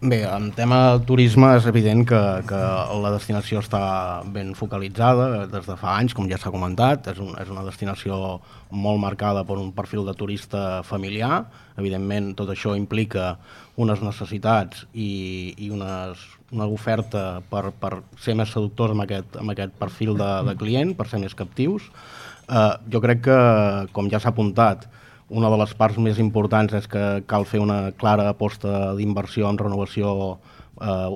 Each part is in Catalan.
Bé, en tema turisme és evident que la destinació està ben focalitzada des de fa anys, com ja s'ha comentat. És una destinació molt marcada per un perfil de turista familiar. Evidentment, tot això implica unes necessitats i una oferta per ser més seductors amb aquest perfil de client, per ser més captius. Jo crec que, com ja s'ha apuntat, una de les parts més importants és que cal fer una clara aposta d'inversió en renovació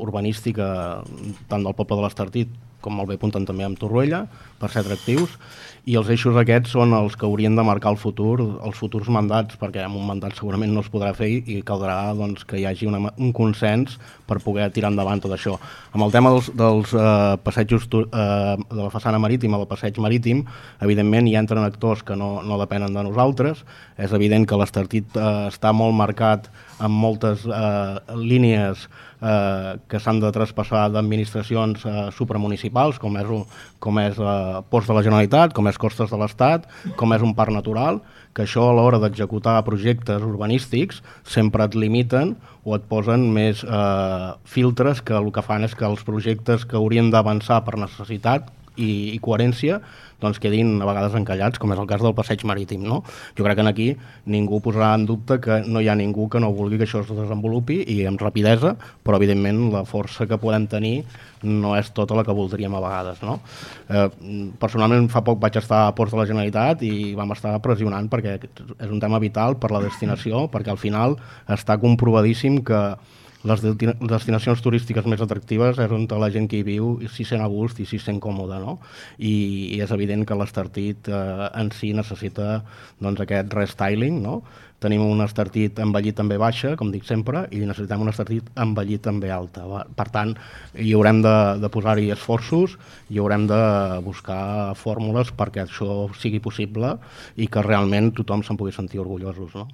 urbanística tant del poble de l'Estartit com molt bé apunten també amb Torroella, per ser atractius, i els eixos aquests són els que haurien de marcar el futur, els futurs mandats, perquè amb un mandat segurament no es podrà fer i caldrà doncs, que hi hagi un consens per poder tirar endavant tot això. Amb el tema dels passejos de la façana marítima, del passeig marítim, evidentment hi entren actors que no depenen de nosaltres. És evident que l'Estartit està molt marcat amb moltes línies que s'han de traspassar d'administracions supramunicipals, com és Ports de la Generalitat, com és Costes de l'Estat, com és un parc natural, que això a l'hora d'executar projectes urbanístics sempre et limiten o et posen més filtres que el que fan és que els projectes que haurien d'avançar per necessitat i coherència doncs quedin a vegades encallats, com és el cas del passeig marítim, no? Jo crec que aquí ningú posarà en dubte que no hi ha ningú que no vulgui que això es desenvolupi i amb rapidesa, però evidentment la força que podem tenir no és tota la que voldríem a vegades, no? Personalment fa poc vaig estar a Ports de la Generalitat i vam estar pressionant perquè és un tema vital per la destinació, perquè al final està comprovadíssim que les destinacions turístiques més atractives és on la gent que hi viu s'hi sent a gust i s'hi sent còmode, no? I és evident que l'Estartit en si necessita doncs, aquest restyling, no? Tenim un Estartit envellit també baixa, com dic sempre, i necessitem un Estartit envellit també alta. Per tant, hi haurem de posar-hi esforços i haurem de buscar fórmules perquè això sigui possible i que realment tothom se'n pugui sentir orgullosos, no?